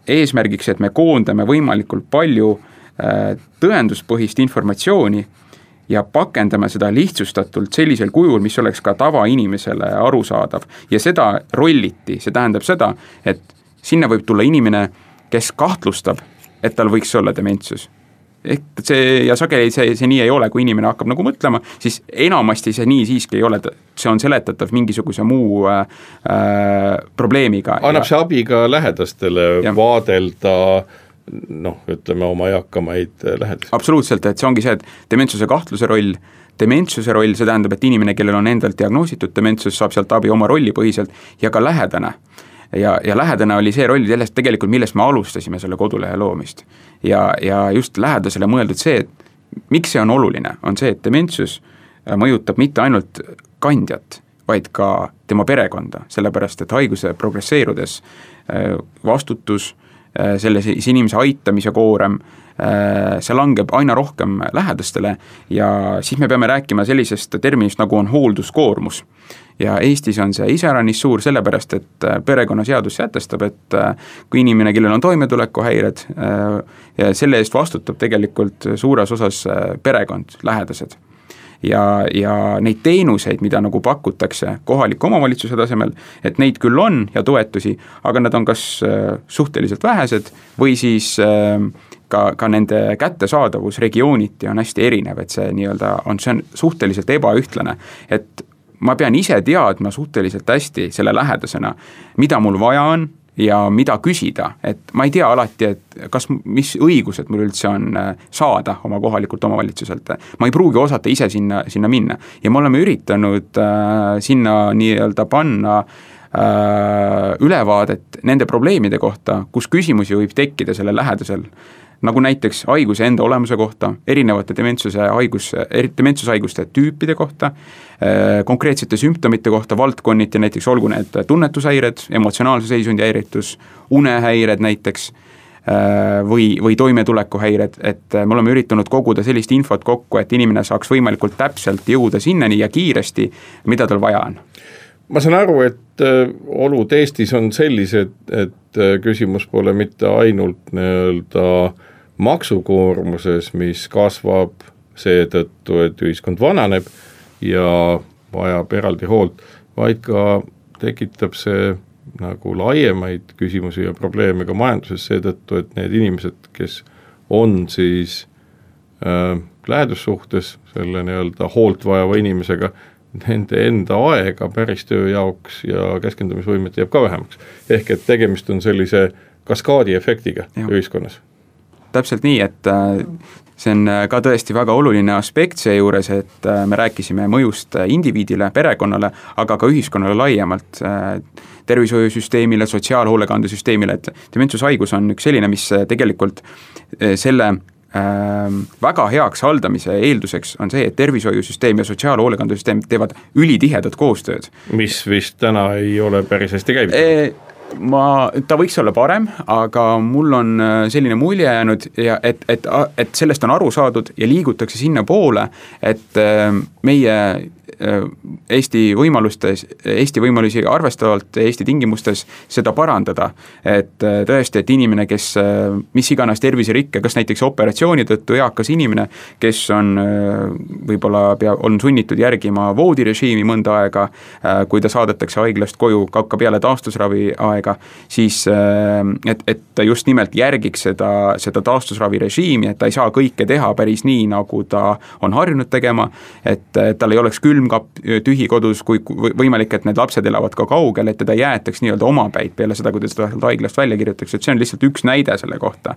eesmärgiks, et me koondame võimalikult palju tõenduspõhist informatsiooni ja pakendame seda lihtsustatult sellisel kujul, mis oleks ka tavainimesele arusaadav. Ja seda rolliti, see tähendab seda, et sinna võib tulla inimene, kes kahtlustab, et tal võiks olla dementsus. Ehk see, ja sageli see, see nii ei ole, kui inimene hakkab nagu mõtlema, siis enamasti see nii siiski ei ole, see on seletatav mingisuguse muu äh, probleemiga. Annab ja, see abi ka lähedastele ja. Vaadelda noh, ütleme oma eakamaid lähedasi? Absoluutselt, et see ongi see, et dementsuse kahtluse roll, dementsuse roll, see tähendab, et inimene, kellel on endalt diagnoositud dementsus, saab sealt abi oma rolli põhiselt ja ka lähedane. Ja, ja lähedane oli see roll sellest tegelikult, millest me alustasime selle kodulehe loomist. Ja, ja just lähedasele mõeldud see, et miks see on oluline, on see, et dementsus mõjutab mitte ainult kandjat, vaid ka tema perekonda, sellepärast, et haiguse progresseerudes vastutus, selles inimese aitamise koorem, see langeb aina rohkem lähedastele ja siis me peame rääkima sellisest terminist, nagu on hoolduskoormus. Ja Eestis on see iseäranis suur sellepärast, et perekonnaseadus sätestab, et kui inimene, kellel on toimetulekuhäired, ja selle eest vastutab tegelikult suures osas perekond, lähedased. Ja, ja neid teenuseid, mida nagu pakutakse kohaliku omavalitsuse tasemel, et neid küll on ja toetusi, aga nad on kas suhteliselt vähesed või siis ka, ka nende kättesaadavus regiooniti on hästi erinev, et see nii-öelda on, see on suhteliselt ebaühtlane, et ma pean ise teadma suhteliselt hästi selle lähedasena, mida mul vaja on ja mida küsida, et ma ei tea alati, et kas, mis õigused mul üldse on saada oma kohalikult omavalitsuselt. Ma ei pruugi osata ise sinna, sinna minna ja me oleme üritanud äh, sinna nii-öelda panna äh, ülevaadet nende probleemide kohta, kus küsimusi võib tekkida selle lähedasel, nagu näiteks haiguse enda olemuse kohta, erinevate dementsuse haigus, dementsushaiguste tüüpide kohta, konkreetsete sümptomite kohta, valdkonniti näiteks olgu need tunnetushäired, emotsionaalse seisundi häiritus, unehäired näiteks, või, või toimetulekuhäired, et me oleme üritanud koguda sellist infot kokku, et inimene saaks võimalikult täpselt jõuda sinnani ja kiiresti, mida tal vaja on. Ma saan aru, et olud Eestis on sellised, et küsimus pole mitte ainult nii-öelda maksukoormuses, mis kasvab seetõttu, et ühiskond vananeb ja vajab eraldi hoolt, vaid ka tekitab see nagu laiemaid küsimusi ja probleeme ka majanduses seetõttu, et need inimesed, kes on siis äh, lähedussuhtes selle nii-öelda hoolt vajava inimesega, nende enda aega päris töö jaoks ja keskendumisvõimet jääb ka vähemaks. Ehk et tegemist on sellise kaskaadi efektiga ja. Ühiskonnas. Täpselt nii, et see on ka tõesti väga oluline aspekt seejuures, et me rääkisime mõjust indiviidile, perekonnale, aga ka ühiskonnale laiemalt, tervishoiusüsteemile, sotsiaalhoolekandesüsteemile, et dementsushaigus on üks selline, mis tegelikult selle väga heaks haldamise eelduseks on see, et tervishoiusüsteem ja sotsiaalhoolekandesüsteem teevad ülitihedat koostööd. Mis vist täna ei ole päris hästi käinud? E ma, ta võiks olla parem, aga mul on selline mulje jäänud, ja et, et, et sellest on aru saadud ja liigutakse sinna poole, et meie Eesti võimalustes, Eesti võimalusi arvestavalt Eesti tingimustes seda parandada, et tõesti, et inimene, kes mis iganes terviserikke, kas näiteks operatsiooni tõttu eakas inimene, kes on võib-olla pea, on sunnitud järgima voodirežiimi mõnda aega, kui ta saadetakse haiglast koju ka peale taastusravi aega, siis et, et ta just nimelt järgiks seda, seda taastusravi režiimi, et ta ei saa kõike teha päris nii, nagu ta on harjunud tegema, et tal ei oleks külm tühi kodus, kui võimalik, et need lapsed elavad ka kaugel, et teda jäetaks nii-öelda omapäid peale seda, kui ta seda haiglast välja kirjutaks, et see on lihtsalt üks näide selle kohta.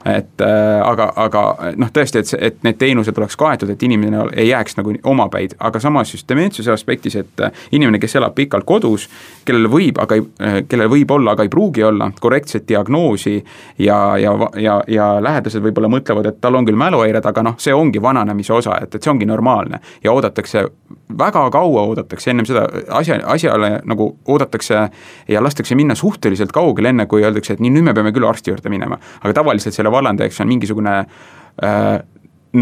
Et aga, aga noh, tõesti, et, et need teenused oleks kaetud, et inimene ei jääks nagu omapäid, aga samas just dementsuse aspektis, et inimene, kes elab pikalt kodus, kellel võib, aga ei, kellel võib olla, aga ei pruugi olla korrektset diagnoosi ja, ja, ja, ja lähedased võib-olla mõtlevad, et tal on küll mäluhäired, aga noh, see ongi vananemise osa, et, et see ongi normaalne ja oodatakse väga kaua oodatakse ennem seda asja, asjale nagu oodatakse ja lastakse minna suhteliselt kaugel enne, kui öeldakse, et nii nüüd me peame küll arsti juurde minema. Aga tavaliselt selle vallandajaks on mingisugune äh,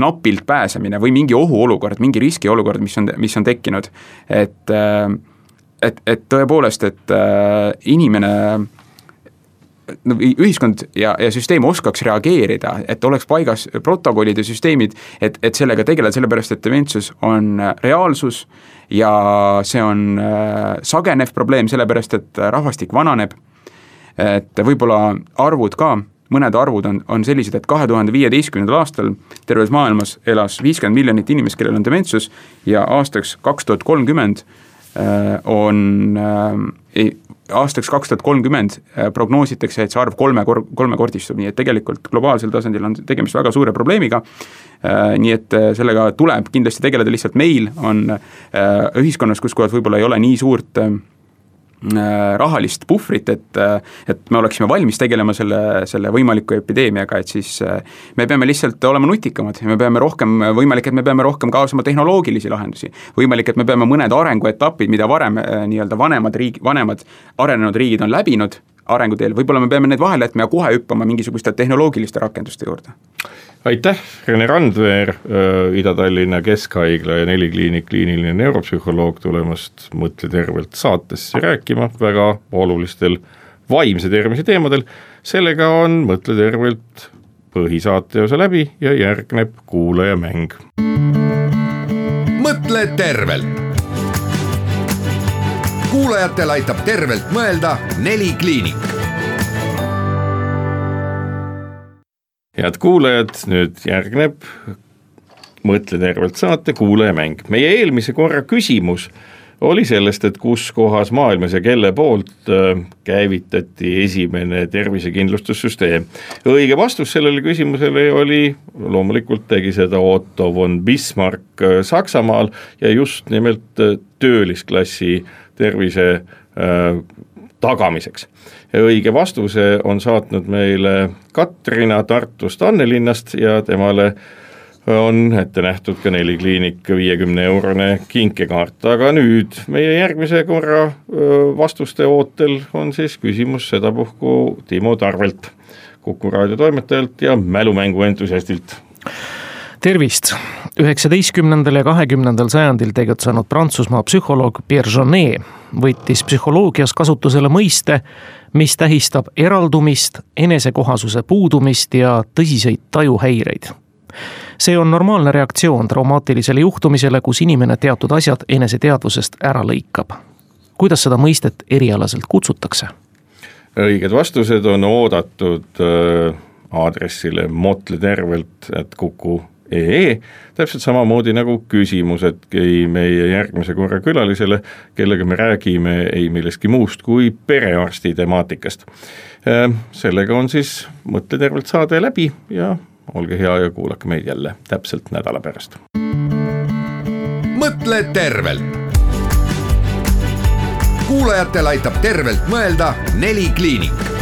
napilt pääsemine või mingi ohuolukord, mingi riskiolukord, mis on, mis on tekkinud. Et, äh, et, et tõepoolest, et äh, inimene ühiskond ja, ja süsteem oskaks reageerida, et oleks paigas protokollid ja süsteemid, et, et sellega tegeleda, sellepärast, et dementsus on reaalsus ja see on sagenev probleem, sellepärast, et rahvastik vananeb, et võib-olla arvud ka, mõned arvud on, on sellised, et kahe tuhande viieteistkümnendal aastal terves maailmas elas viiskümmend miljonit inimest, kellel on dementsus ja aastaks kaks tuhat kolmkümmend on aastaks kaks tuhat kolmkümmend prognoositakse, et see arv kolme, kolmekordistub, nii et tegelikult globaalsel tasandil on tegemist väga suure probleemiga, nii et sellega tuleb kindlasti tegeleda, lihtsalt meil on ühiskonnas, kus kohas võib-olla ei ole nii suurt rahalist puhvrit, et, et me oleksime valmis tegelema selle, selle võimaliku epideemiaga, et siis me peame lihtsalt olema nutikamad ja me peame rohkem, võimalik, et me peame rohkem kaasama tehnoloogilisi lahendusi, võimalik, et me peame mõned arenguetapid, mida varem nii-öelda vanemad riik, vanemad arenenud riigid on läbinud arenguteel, võib-olla me peame need vahele jätma ja kohe hüppama mingisuguste tehnoloogiliste rakenduste juurde. Aitäh, Rene Randveer, Ida-Tallinna Keskhaigla ja Nelikliinik kliiniline neuropsühholoog tulemast Mõtle tervelt saatesse rääkima väga olulistel vaimse tervise teemadel. Sellega on Mõtle tervelt põhisaate osa läbi ja järgneb kuulajamäng. Mõtle tervelt. Kuulajatel aitab tervelt mõelda Nelikliinik. Head kuulajad, nüüd järgneb Mõtle tervelt saate kuulajamäng. Meie eelmise korra küsimus oli sellest, et kus kohas maailmas ja kelle poolt käivitati esimene tervisekindlustussüsteem. Õige vastus sellele küsimusele oli, loomulikult tegi seda Otto von Bismarck Saksamaal ja just nimelt töölisklassi tervise tagamiseks. Õige vastuse on saatnud meile Katrina Tartust Annelinnast ja temale on ette nähtud ka Nelikliinik viiekümne eurone kinkekaart. Aga nüüd meie järgmise korra vastuste ootel on siis küsimus sedapuhku Timo Tarvelt. Kuku raadio toimetajalt ja mälumängu entusiastilt. Tervist! üheksateistkümnendal ja kahekümnendal sajandil tegutsenud Prantsusmaa psühholoog Pierre Janet võttis psühholoogias kasutusele mõiste, mis tähistab eraldumist, enesekohasuse puudumist ja tõsiseid tajuhäireid. See on normaalne reaktsioon traumaatilisele juhtumisele, kus inimene teatud asjad eneseteadvusest ära lõikab. Kuidas seda mõistet erialaselt kutsutakse? Õiged vastused on oodatud aadressile motle tervelt at kuku ee, täpselt samamoodi nagu küsimusedki meie järgmise korra külalisele, kellega me räägime ei millestki muust kui perearsti temaatikast. Sellega on siis Mõtle tervelt saade läbi ja olge hea ja kuulake meid jälle täpselt nädala pärast. Mõtle tervelt. Kuulajatel aitab tervelt mõelda Neli kliinik.